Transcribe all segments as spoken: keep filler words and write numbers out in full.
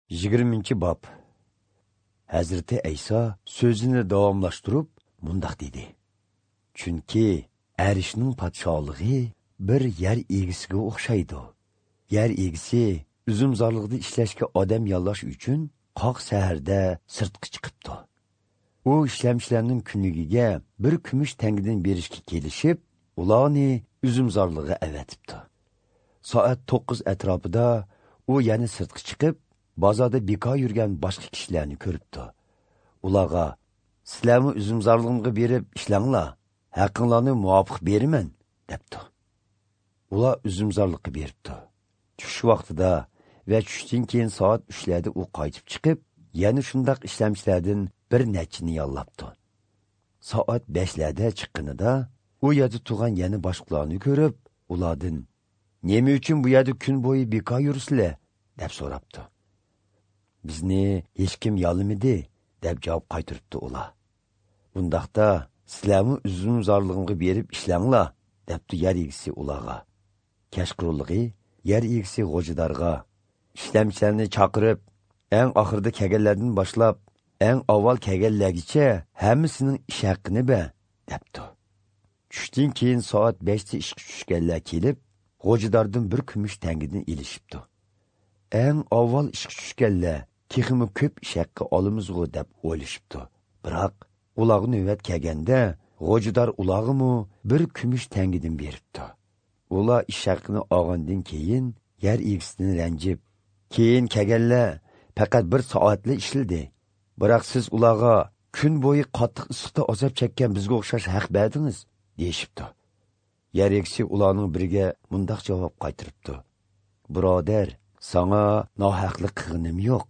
Yigirmanchi bob. Hazrati Ayso so'zini davomlashtirib mundoq dedi: Chunki arishning podsholig'i bir yer egisiga o'xshaydi. Yer egisi uzumzorlig'ida ishlashga odam yollash uchun qoq saharda sirtqa chiqibdi. U ishlamchilarning kunligiga bir kumush tangidan berishga kelishib, ularni uzumzorlig'iga avatibdi. Soat to'qqiz atrofida u yana sirtqa chiqib, bozorda bekor yurgan boshqa kishilarni ko'ribdi. Ularga: "Sizlarni uzumzorlig'imga berib ishlanglar, haqinglarni muvofiq beraman", debdi. Ular uzumzorliqqa beribdi. Tush vaqtida va tushdan keyin soat uchlarda u qaytib chiqib, yana shundoq ishlamchilardan bir nechini yollabdi. Soat beshlarda chiqqanida u yerda turgan yana boshqalarni ko'rib, ulardan: "Nima uchun bu yerda kun bo'yi bekor yursizlar?" deb so'rabdi. "Bizni hech kim yollamadi", deb javob qaytaribdi ular. "Bundaqda sizlarni uzumzorlig'imga berib ishlanglar", debdi yer egisi ularga. Kechqurunlig'i yer egisi g'o'jidorga ishlamchilarni chaqirib, eng oxirida kelganlardan boshlab eng avval kelganlargacha hammasining ish haqqini ber, debdi. Tushdan keyin soat beshda ishga tushganlar kelib, g'o'jidordan bir kumush tangidan ilishibdi. Eng avval ishga tushganlar texmi ko'p ish haqqi olamizg'u deb o'ylashibdi. Biroq ularga navbat kelganda g'o'jidor ularga bir kumush tangidan beribdi. Ular ish haqqini olgandan keyin yer egisidan ranjib, keyin kelganlar faqat bir soatli ishladi. Biroq siz ularga kun bo'yi qattiq issiqda azob chekkan bizga o'xshash haq berdingiz, deyishibdi. Yer egisi ularning biriga mundoq javob qaytaribdi: "Birodar, sana nohaqlik qilganim yo'q.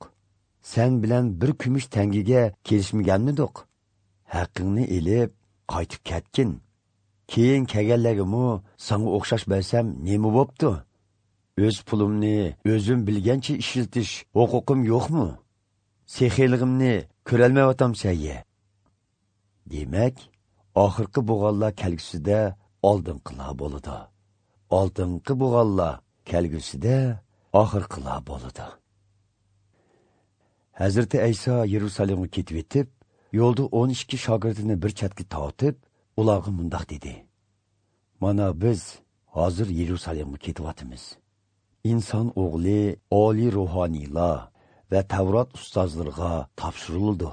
Sen bilan bir kumush tangiga kelishmaganmidik? Haqqingni elib qaytib ketgin. Keyin kelganlarga sana o'xshash bersam nima bo'pti? O'z pulimni o'zim bilgancha ishlatish huquqim yo'qmi? Sexiyligimni ko'rolmayotamsan ye." Demak, oxirgi bo'g'onlar kelgusida oldinqilar bo'ladi. Oldinqi bo'g'onlar kelgusida oxirqilar bo'ladi. Hazrati Ayso Yerusalimga ketib yetib, yo'lda o'n ikki shogirdini bir chetga tortib, ularga mundoq dedi: "Mana biz hozir Yerusalimga ketyapmiz. Inson o'g'li oliy ruhoniylar va Tavrat ustozlariga topshirildi.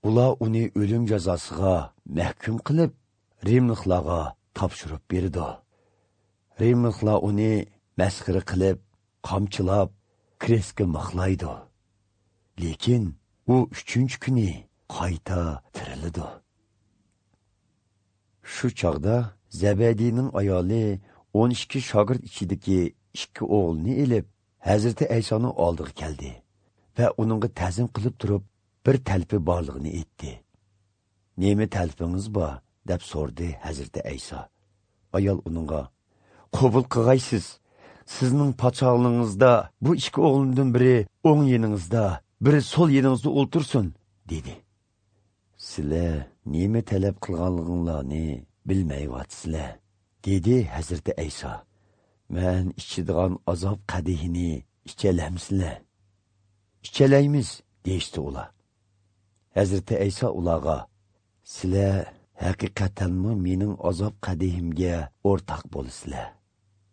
Ular uni o'lim jazosiga mahkum qilib, rimliklarga topshirib berdi. Rimliklar uni masxara qilib, qamchilab, krestga mixlaydi. Lekin u uchinchi kuni qayta tirildi." Shu chog'da Zabadiyning ayoli o'n ikki shogird ichidagi ikki o'g'lini elib, Hazrati Aysoning oldiga keldi va uningga ta'zim qilib turib, bir talpi borlig'ini aytdi. "Nima talpingiz bor?" deb so'rdi Hazrati Ayso. Ayol uningga: "Qabul qilg'aysiz. Sizning podsholig'ingizda bu ikki o'g'limdan biri o'ng yeningizda, biri so'l yeningizda o'ltirsin", dedi. "Sizlar nima talab qilganliginglarni bilmayapsizlar", dedi Hazrati Ayso. "Men ichadigan azob qadihini ichalamsizlar?" "Ichalaymiz", deyishdi ular. Hazrati Ayso ularga: "Sizlar haqiqatanmi mening azob qadihimga o'rtoq bo'lasizlar.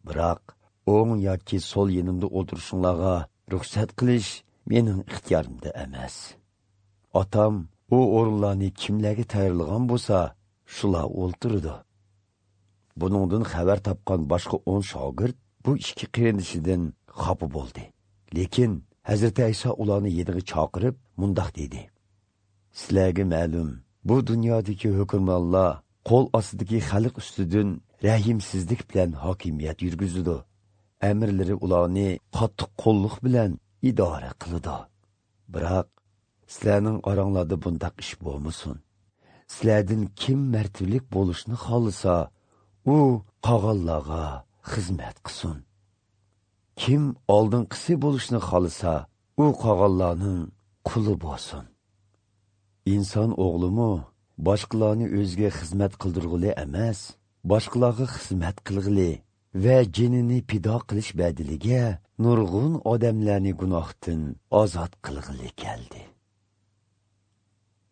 Biroq o'ng yoki so'l yenimda o'tirishinglarga ruxsat qilish mening ixtiyorimda emas. Otam u o'rinlarni kimlarga tayyorlagan bo'lsa, shular o'ltiradi." Buningdan xabar topgan boshqa o'n shogird bu ikki qarindishidan xafa bo'ldi. Lekin Hazrati Ayso ularni yeniga chaqirib mundoq dedi: "Sizlarga ma'lum, bu dunyodagi hukmronlar qo'l ostidagi xalq ustidan rahimsizlik bilan hokimiyat yurgizadi. Amirlari ularni qattiq qo'lliq bilan idora qiladi. Biroq sizlarning oranglarda bundaq ish bo'lmasin. Sizlardan kim martabalik bo'lishni xohlasa, u qog'onlarga xizmat qilsin. Kim oldinqisi bo'lishni xohlasa, u qog'onlarning quli bo'lsin. Inson o'g'limi boshqalarni o'ziga xizmat qildirg'ili emas, boshqalarga xizmat qilg'ili va jinini pido qilish badiliga nurg'un odamlarni gunohdan ozod qilg'ili keldi.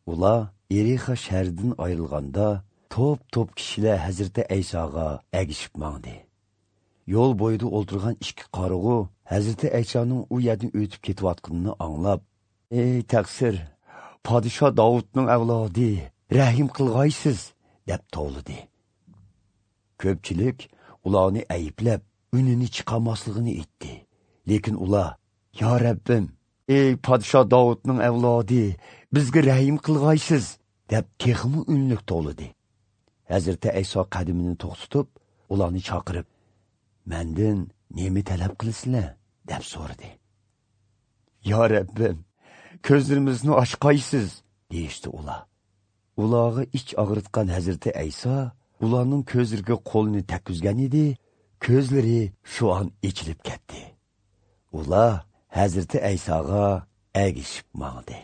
Ular Erixa shahridan ayrilganda to'p-to'p kishilar Hazrati Aysoga agishib mangdi. Yo'l bo'yida o'ltirgan ikki qarug'u Hazrati Aysoning u yerdan o'tib ketayotganini anglab, "Ey taqsir, podsho Davudning avlodi, rahim qilg'aysiz" deb tovladi. Ko'pchilik ularni ayblab, unini chiqarmasligini aytdi. Lekin ular, "Ya Rabbim, ey podsho Davudning avlodi, bizga rahim qilg'aysiz" deb texmi unlik tovladi. Hazrati Ayso qadimini to'xtatib, ularni chaqirib, "Mendan nima talab qilasizlar?" deb so'radi. "Ya Rabbim, ko'zlarimizni ochqaysiz" deyishdi ular. Ularga ich og'ritgan Hazrati Ayso ularning ko'zlariga qo'lini takkizgan edi, ko'zlari shu on ochilib ketdi. Ular Hazrati Aysoga agishib mangdi.